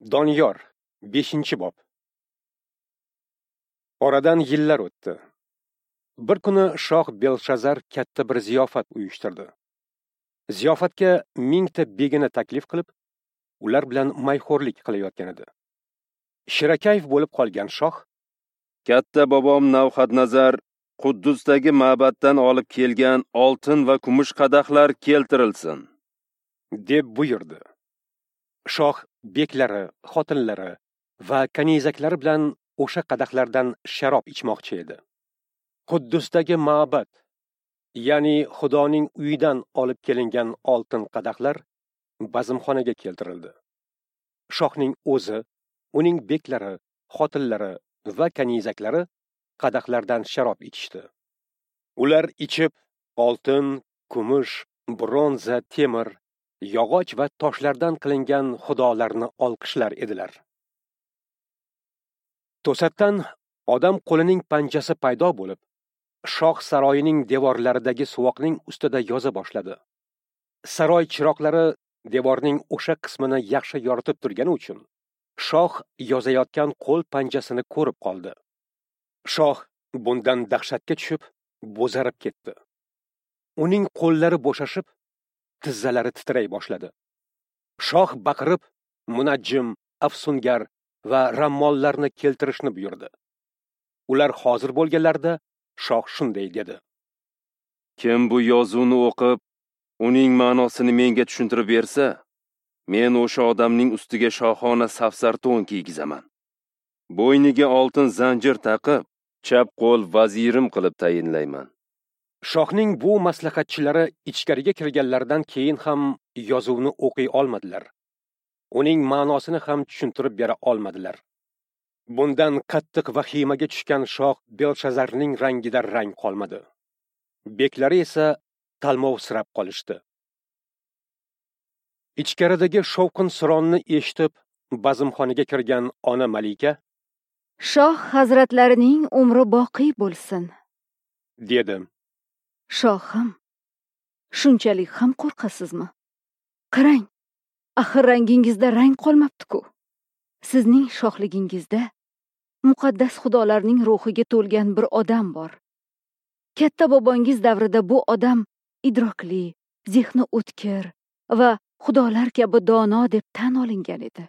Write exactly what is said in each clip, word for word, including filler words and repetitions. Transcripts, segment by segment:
Doniyor, beshinchi bob. Oradan yillar o'tdi. Bir kuni shoh Belshazar katta bir ziyofat uyushtirdi. Ziyofatga mingta begini taklif qilib, ular bilan mayxo'rlik qilayotgan edi. Shirakayf bo'lib qolgan shoh: "Katta bobom Navxadnazar Quddusdagi ma'batdan olib kelgan oltin va kumush qadahlar keltirilsin", deb buyurdi. Shoh beklari, xotinlari va kanizaklari bilan o'sha qadahlardan sharob ichmoqchi edi. Quddusdagi ma'bad, ya'ni Xudoning uyidan olib kelingan oltin qadahlar bazmxonaga keltirildi. Shohning o'zi, uning beklari, xotinlari va kanizaklari qadahlardan sharob ichishdi. Ular ichib, oltin, kumush, bronza, temir, yog'och va toshlardan qilingan xudolarni olqishlar edilar. To'satdan odam qo'lining panjasi paydo bo'lib, shoh saroyining devorlaridagi suvoqning ustida yoza boshladi. Saroy chiroqlari devorning o'sha qismini yaxshi yoritib turgani uchun shoh yozayotgan qo'l panjasini ko'rib qoldi. Shoh bundan dahshatga tushib, bo'zarib ketdi. Uning qo'llari bo'shashib, tizzalari titray boshladi. Shoh baqirib, munajjim, afsungar va rammollarni keltirishni buyurdi. Ular hozir bo'lganlarida shoh shunday dedi: "Kim bu yozuvni o'qib, uning ma'nosini menga tushuntirib bersa, men o'sha odamning ustiga shohona safsar to'n kiygizaman. Bo'yniga oltin zanjir taqib, chap qo'l vazirim qilib tayinlayman." Shohning bu maslahatchilari ichkariga kirganlaridan keyin ham yozuvni o'qiy olmadilar. Uning ma'nosini ham tushuntirib bera olmadilar. Bundan qattiq vahimaga tushgan shoh Belshazarning rangida rang qolmadi. Beklari esa talmovsirab qolishdi. Ichkaridagi shovqin-suronni eshitib, bazmxonaga kirgan ona malika: "Shoh hazratlarining umri boqiy bo'lsin", dedi. "Shohim, shunchalik ham qo'rqasizmi? Qarang, axir rangingizda rang qolmabdi-ku. Sizning shohligingizda muqaddas xudolarning ruhiga to'lgan bir odam bor. Katta bobongiz davrida bu odam idrokli, zehni o'tkir va xudolar kabi dono deb tan olingan edi.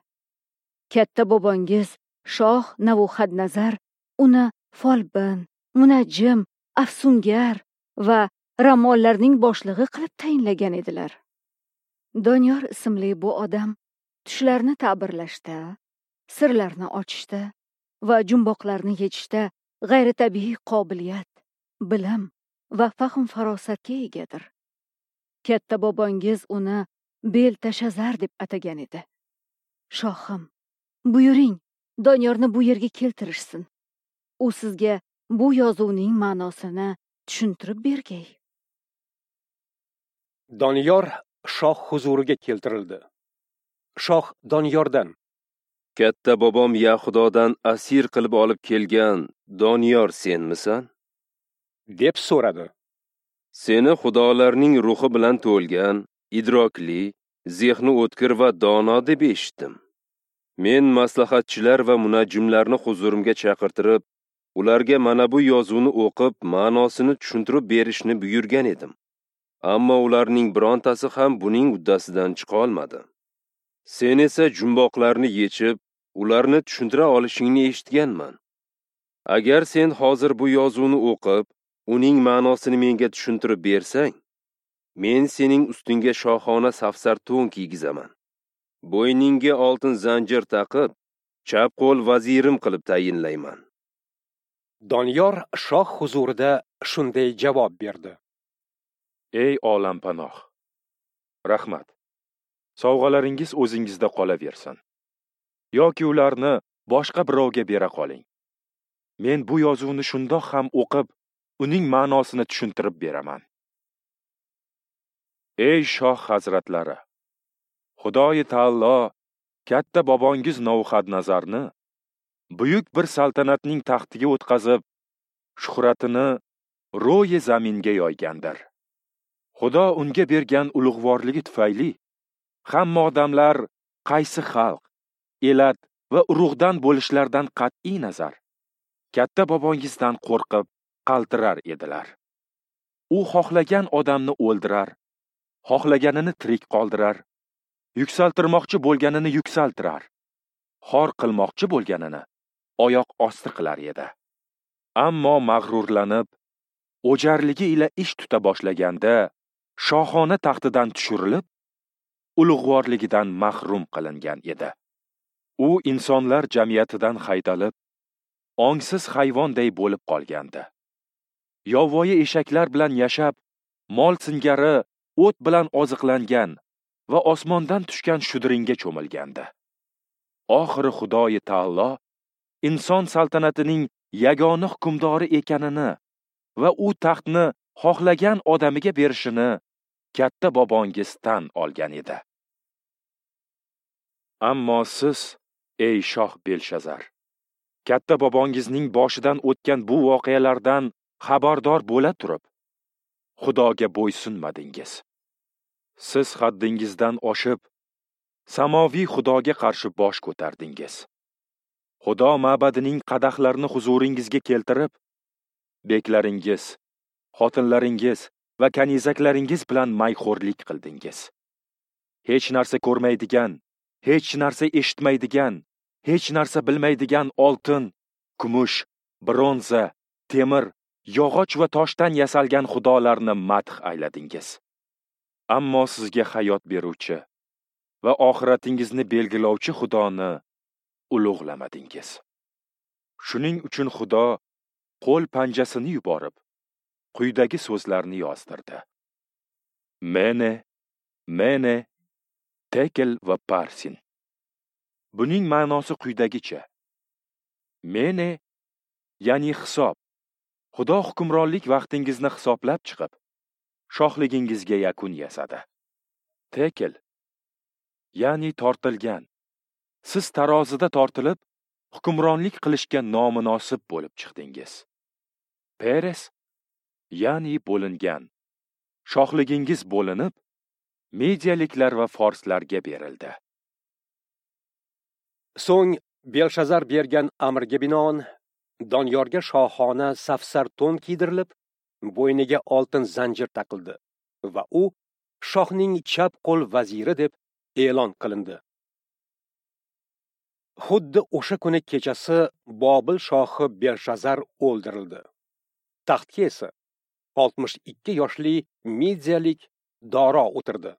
Katta bobongiz shoh Navuxadnazar uni folbin, munajjim, afsungar va rammollarning boshlig'i qilib tayinlagan edilar. Doniyor ismli bu odam tushlarni ta'birlashda, sirlarni ochishda va jumboqlarni yechishda g'ayritabiiy qobiliyat, bilim va fahm-farosatga egadir. Katta bobongiz uni Beltashazar deb atagan edi. Shohim, buyuring, Doniyorni bu yerga keltirishsin. U sizga bu yozuvning ma'nosini tushuntirib bergay." Doniyor shoh huzuriga keltirildi. Shoh Doniyordan: "Katta bobom Yahudodan asir qilib olib kelgan Doniyor senmisan?" deb so'radi. "Seni xudolarning ruhi bilan to'lgan, idrokli, zehni o'tkir va dono deb eshitdim. Men maslahatchilar va munajjimlarni huzurimga chaqirtirib, ularga mana bu yozuvni o'qib, ma'nosini tushuntirib berishni buyurgan edim. Ammo ularning birontasi ham buning uddasidan chiqa olmadi. Sen esa jumboqlarni yechib, ularni tushuntira olishingni eshitganman. Agar sen hozir bu yozuvni o'qib, uning ma'nosini menga tushuntirib bersang, men sening ustingga shohona safsar to'n kiygizaman. Bo'yningga oltin zanjir taqib, chap qo'l vazirim qilib tayinlayman." Doniyor shoh huzurida shunday javob berdi: "Ey olampanoh, rahmat. Sovg'alaringiz o'zingizda qolaversin, yoki ularni boshqa birovga bera qoling. Men bu yozuvni shundoq ham o'qib, uning ma'nosini tushuntirib beraman. Ey shoh hazratlari, Xudoyi taolo katta bobongiz Navuxadnazarni buyuk bir saltanatning taxtiga o'tqazib, shuhratini ro'yi zaminga yoygandir. Xudo unga bergan ulug'vorligi tufayli hamma odamlar qaysi xalq, elat va urug'dan bo'lishlaridan qat'iy nazar katta bobongizdan qo'rqib qaltirar edilar. U xohlagan odamni o'ldirar, xohlaganini tirik qoldirar, yuksaltirmoqchi bo'lganini yuksaltirar, xor qilmoqchi bo'lganini oyoq osti qilar edi. Ammo mag'rurlanib, o'jarligi ila ish tuta boshlaganda shohona taxtidan tushirilib, ulug'vorligidan mahrum qilingan edi. U insonlar jamiyatidan haydalib, ongsiz hayvonday bo'lib qolgandi. Yovvoyi eshaklar bilan yashab, mol singari o't bilan oziqlangan va osmondan tushgan shudringga cho'milgandi. Oxiri Xudoyi taolo inson saltanatining yagona hukmdori ekanini va u taxtni xohlagan odamiga berishini katta bobongiz tan olgan edi. Ammo siz, ey shoh Belshazar, katta bobongizning boshidan o'tgan bu voqealardan xabardor bo'la turib, Xudoga bo'ysunmadingiz. Siz haddingizdan oshib, samoviy Xudoga qarshi bosh ko'tardingiz. Xudo ma'badining qadahlarini huzuringizga keltirib, beklaringiz, xotinlaringiz va kanizaklaringiz bilan mayxo'rlik qildingiz. Hech narsa ko'rmaydigan, hech narsa eshitmaydigan, hech narsa bilmaydigan oltin, kumush, bronza, temir, yog'och va toshdan yasalgan xudolarni madh ayladingiz. Ammo sizga hayot beruvchi va oxiratingizni belgilovchi Xudoni ulug'lamadingiz. Shuning uchun Xudo qo'l panjasini yuborib, quyidagi so'zlarni yozdirdi: Mene, Mene, Tekel va Parsin. Buning ma'nosi quyidagicha: Mene, ya'ni hisob. Xudo hukmronlik vaqtingizni hisoblab chiqib, shohligingizga yakun yasadi. Tekel, ya'ni tortilgan. Siz tarozida tortilib, hukmronlik qilishga nomunosib bo'lib chiqdingiz. Peres, ya'ni bo'lingan. Shohligingiz bo'linib, mediyaliklar va forslarga berildi. So'ng Belshazar bergan amrga binoan Doniyorga shohona safsar to'n kiydirilib, bo'yniga oltin zanjir taqildi va u shohning chap qo'l vaziri deb e'lon qilindi. Xuddi o'sha kuni kechasi Bobil shohi Belshazar o'ldirildi. Taxtga esa oltmish ikki yoshli mediyalik Doro o'tirdi.